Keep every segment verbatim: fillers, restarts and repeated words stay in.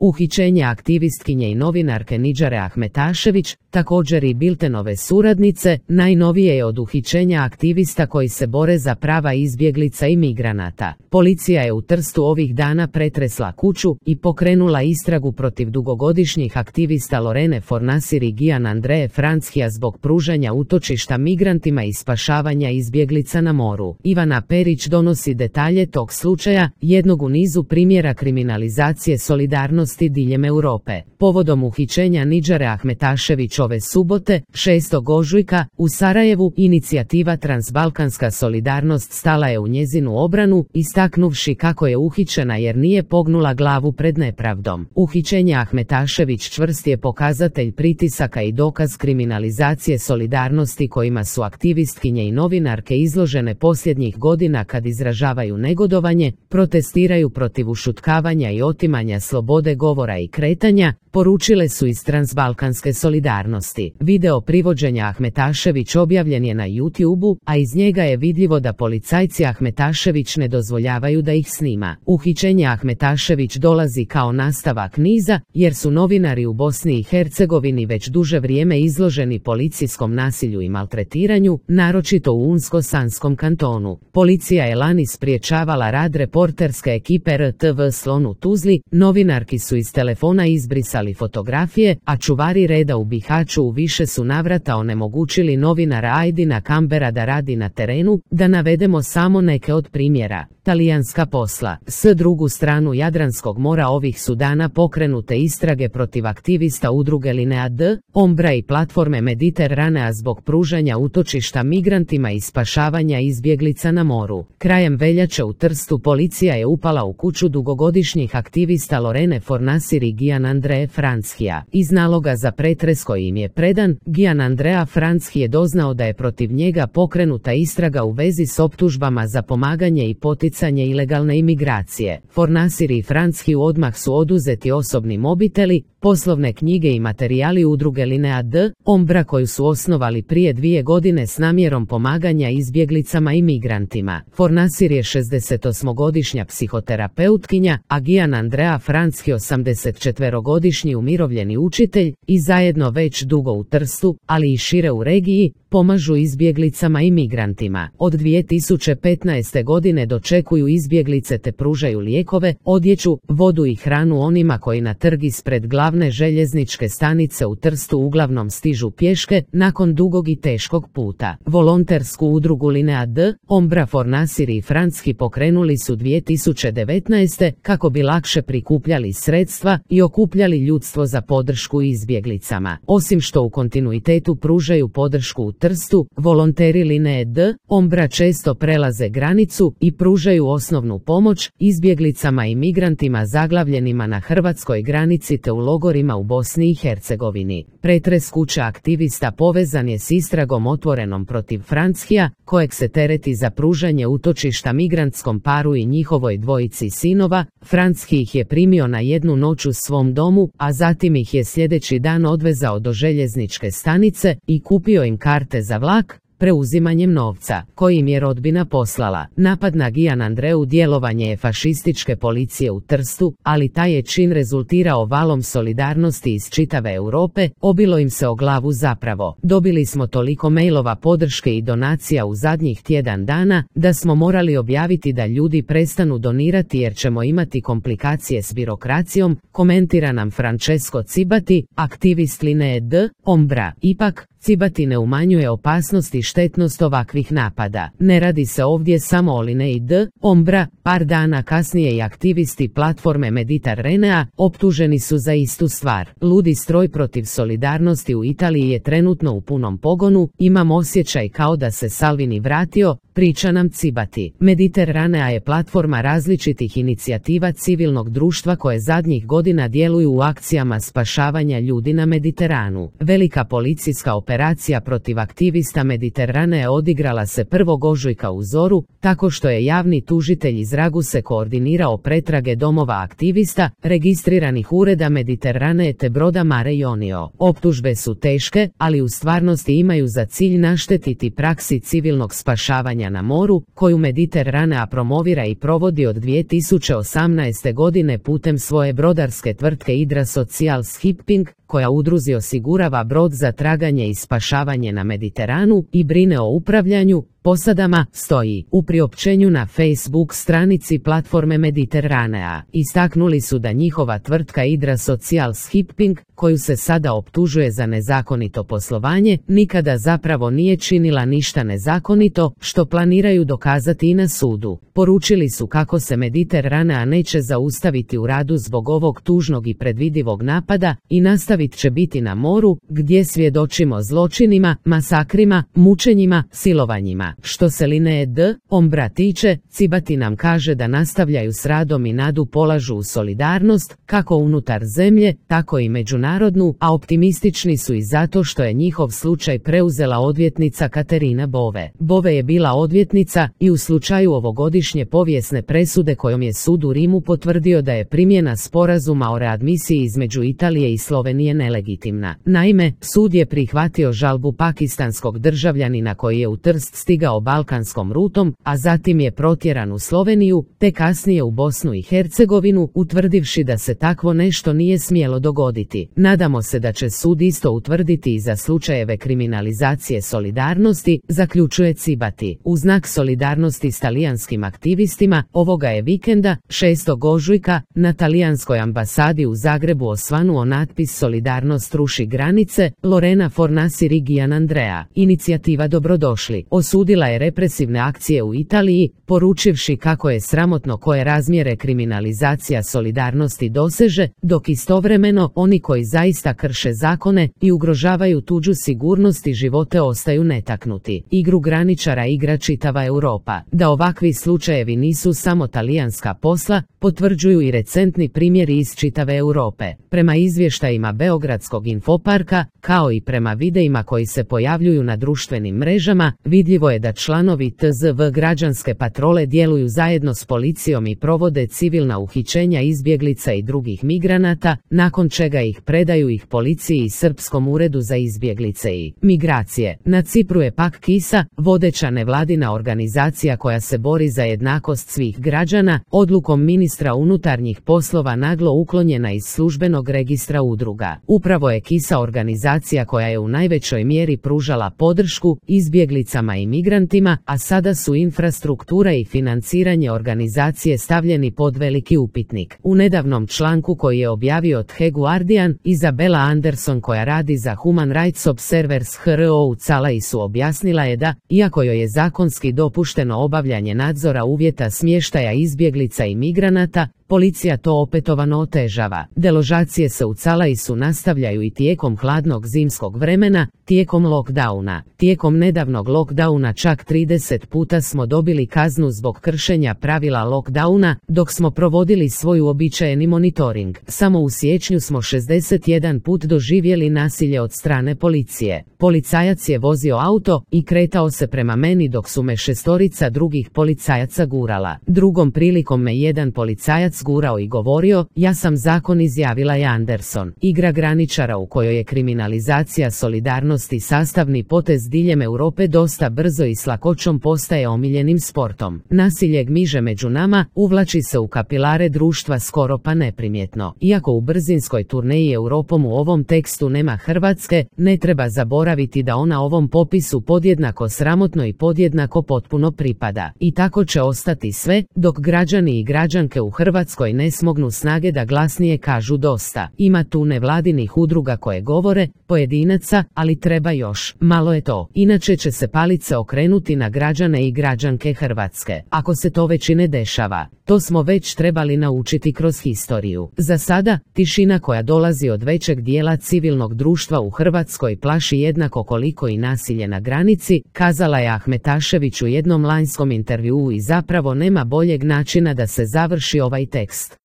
Uhićenje aktivistkinje i novinarke Nidžare Ahmetašević, također i Biltenove suradnice, najnovije je od uhićenja aktivista koji se bore za prava izbjeglica i migranata. Policija je u Trstu ovih dana pretresla kuću i pokrenula istragu protiv dugogodišnjih aktivista Lorene Fornasir i Gian Andreje Franckija zbog pružanja utočišta migrantima i spašavanja izbjeglica na moru. Ivana Perić donosi detalje tog slučaja, jednog u nizu primjera kriminalizacije solidarnosti diljem Europe. Povodom uhićenja Nidžare Ahmetašević ove subote, šestog ožujka, u Sarajevu, inicijativa Transbalkanska solidarnost stala je u njezinu obranu, istaknuvši kako je uhićena jer nije pognula glavu pred nepravdom. Uhićenje Ahmetašević čvrst je pokazatelj pritisaka i dokaz kriminalizacije solidarnosti kojima su aktivistkinje i novinarke izložene posljednjih godina kad izražavaju negodovanje, protestiraju protiv ušutkavanja i otimanja slobode govora i kretanja, poručile su iz Transbalkanske solidarnosti. Video privođenja Ahmetašević objavljen je na YouTubeu, a iz njega je vidljivo da policajci Ahmetašević ne dozvoljavaju da ih snima. Uhićenje Ahmetašević dolazi kao nastavak niza, jer su novinari u Bosni i Hercegovini već duže vrijeme izloženi policijskom nasilju i maltretiranju, naročito u Unsko-Sanskom kantonu. Policija je lani spriječavala rad reporterske ekipe R T V Slon u Tuzli, novinarki su iz telefona izbrisali fotografije, a čuvari reda u Bihaću u više su navrata onemogućili novinara Ajdina Kambera da radi na terenu, da navedemo samo neke od primjera. Talijanska posla. S drugu stranu Jadranskog mora ovih su dana pokrenute istrage protiv aktivista udruge Linea D, Ombra i platforme Mediteranea zbog pružanja utočišta migrantima i spašavanja izbjeglica na moru. Krajem veljače u Trstu policija je upala u kuću dugogodišnjih aktivista Lorene Fornasir i Gian Andreje Franckija. Iz naloga za pretres koji im je predan, Gian Andrea Franckij je doznao da je protiv njega pokrenuta istraga u vezi s optužbama za pomaganje i poticanje ilegalne imigracije. Fornasir i Franckiju odmah su oduzeti osobni mobiteli, poslovne knjige i materijali udruge Linea D, Ombra koju su osnovali prije dvije godine s namjerom pomaganja izbjeglicama i migrantima. Fornasir je šezdesetosmogodišnja psihoterapeutkinja, a Gian Andrea Franckij osamdesetčetverogodišnji umirovljeni učitelj i zajedno već dugo u Trstu, ali i šire u regiji, pomažu izbjeglicama i migrantima. Od dvije tisuće petnaeste godine dočekuju izbjeglice te pružaju lijekove, odjeću, vodu i hranu onima koji na trg ispred glavne željezničke stanice u Trstu uglavnom stižu pješke nakon dugog i teškog puta. Volontersku udrugu Linea D, Ombra, Fornasir i Franckij pokrenuli su dvije tisuće devetnaeste kako bi lakše prikupljali sredstva i okupljali ljudstvo za podršku izbjeglicama. Osim što u kontinuitetu pružaju podršku u Trstu, volonteri Linee D, Ombra često prelaze granicu i pružaju osnovnu pomoć izbjeglicama i migrantima zaglavljenima na hrvatskoj granici te u logorima u Bosni i Hercegovini. Pretres kuće aktivista povezan je s istragom otvorenom protiv Franckija, kojeg se tereti za pružanje utočišta migrantskom paru i njihovoj dvojici sinova. Franckij ih je primio na jednu noć u svom domu, a zatim ih je sljedeći dan odvezao do željezničke stanice i kupio im karte za vlak, preuzimanjem novca, koji im je rodbina poslala. Napad na Gian Andreu djelovanje je fašističke policije u Trstu, ali taj je čin rezultirao valom solidarnosti iz čitave Europe, obilo im se o glavu zapravo. Dobili smo toliko mailova podrške i donacija u zadnjih tjedan dana, da smo morali objaviti da ljudi prestanu donirati jer ćemo imati komplikacije s birokracijom, komentira nam Francesco Cibati, aktivist Linee D, Ombra. Ipak, Cibati ne umanjuje opasnost i štetnost ovakvih napada. Ne radi se ovdje samo o Linei D, Ombra, par dana kasnije i aktivisti platforme Mediteranea optuženi su za istu stvar. Ludi stroj protiv solidarnosti u Italiji je trenutno u punom pogonu, imam osjećaj kao da se Salvini vratio, priča nam Cibati. Mediteranea je platforma različitih inicijativa civilnog društva koje zadnjih godina djeluju u akcijama spašavanja ljudi na Mediteranu. Velika policijska operacija operacija protiv aktivista Mediteranea odigrala se prvog ožujka u zoru, tako što je javni tužitelj iz Raguse koordinirao pretrage domova aktivista, registriranih ureda Mediteranee te broda Mare Jonio. Optužbe su teške, ali u stvarnosti imaju za cilj naštetiti praksi civilnog spašavanja na moru, koju Mediteranea promovira i provodi od dvije tisuće osamnaeste godine putem svoje brodarske tvrtke Hydra Social Shipping, koja udruzi osigurava brod za traganje i spašavanje na Mediteranu i brine o upravljanju posadama, stoji u priopćenju na Facebook stranici platforme Mediteranea. Istaknuli su da njihova tvrtka Hydra Social Shipping, koju se sada optužuje za nezakonito poslovanje, nikada zapravo nije činila ništa nezakonito, što planiraju dokazati i na sudu. Poručili su kako se Mediteranea neće zaustaviti u radu zbog ovog tužnog i predvidivog napada i nastavit će biti na moru, gdje svjedočimo zločinima, masakrima, mučenjima, silovanjima. Što se Lineje D. Ombra tiče, Cibati nam kaže da nastavljaju s radom i nadu polažu u solidarnost, kako unutar zemlje, tako i međunarodnu, a optimistični su i zato što je njihov slučaj preuzela odvjetnica Katerina Bove. Bove je bila odvjetnica i u slučaju ovogodišnje povijesne presude kojom je sud u Rimu potvrdio da je primjena sporazuma o readmisiji između Italije i Slovenije nelegitimna. Naime, sud je prihvatio žalbu pakistanskog državljanina koji je u Trst stigao balkanskom rutom, a zatim je protjeran u Sloveniju, te kasnije u Bosnu i Hercegovinu, utvrdivši da se takvo nešto nije smjelo dogoditi. Nadamo se da će sud isto utvrditi i za slučajeve kriminalizacije solidarnosti, zaključuje Cibati. U znak solidarnosti s talijanskim aktivistima, ovoga je vikenda, šestog ožujka, na talijanskoj ambasadi u Zagrebu osvanuo natpis Solidarnost ruši granice, Lorena Fornasi Rigian Andrea. Inicijativa Dobrodošli osudila je represivne akcije u Italiji, poručivši kako je sramotno koje razmjere kriminalizacija solidarnosti doseže, dok istovremeno oni koji zaista krše zakone i ugrožavaju tuđu sigurnost i živote ostaju netaknuti. Igru graničara igra čitava Europa. Da ovakvi slučajevi nisu samo talijanska posla, potvrđuju i recentni primjeri iz čitave Europe. Prema izvještajima Beogradskog infoparka, kao i prema videima koji se pojavljuju na društvenim mrežama, vidljivo je da članovi T Z V građanske patrole djeluju zajedno s policijom i provode civilna uhićenja izbjeglica i drugih migranata, nakon čega ih predaju ih policiji i Srpskom uredu za izbjeglice i migracije. Na Cipru je pak KISA, vodeća nevladina organizacija koja se bori za jednakost svih građana, odlukom ministra unutarnjih poslova naglo uklonjena iz službenog registra udruga. Upravo je KISA organizacija koja je u najvećoj mjeri pružala podršku izbjeglicama i migrantima, a sada su infrastruktura i financiranje organizacije stavljeni pod veliki upitnik. U nedavnom članku koji je objavio The Guardian, Izabela Anderson koja radi za Human Rights Observers H R O u Calaisu objasnila je da, iako joj je zakonski dopušteno obavljanje nadzora uvjeta smještaja izbjeglica i migranata, policija to opetovano otežava. Deložacije se u Calaisu nastavljaju i tijekom hladnog zimskog vremena, tijekom lockdowna. Tijekom nedavnog lockdowna čak trideset puta smo dobili kaznu zbog kršenja pravila lockdowna, dok smo provodili svoj uobičajeni monitoring. Samo u siječnju smo šezdeset jedan put doživjeli nasilje od strane policije. Policajac je vozio auto i kretao se prema meni dok su me šestorica drugih policajaca gurala. Drugom prilikom me jedan policajac gurao i govorio, ja sam zakon, izjavila je Anderson. Igra graničara u kojoj je kriminalizacija solidarnosti sastavni potez diljem Europe dosta brzo i s lakoćom postaje omiljenim sportom. Nasilje gmiže među nama, uvlači se u kapilare društva skoro pa neprimjetno. Iako u brzinskoj turneji Europom u ovom tekstu nema Hrvatske, ne treba zaboraviti da ona ovom popisu podjednako sramotno i podjednako potpuno pripada. I tako će ostati sve, dok građani i građanke u Hrvatskoj ne smognu snage da glasnije kažu dosta. Ima tu nevladinih udruga koje govore, pojedinaca, ali treba još. Malo je to. Inače će se palice okrenuti na građane i građanke Hrvatske. Ako se to već i ne dešava. To smo već trebali naučiti kroz historiju. Za sada, tišina koja dolazi od većeg dijela civilnog društva u Hrvatskoj plaši jednako koliko i nasilje na granici, kazala je Ahmetašević u jednom lanjskom intervjuu, i zapravo nema boljeg načina da se završi ovaj tekst.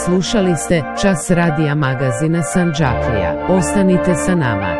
Slušali ste Čas radija magazina Sandžaklija. Ostanite sa nama.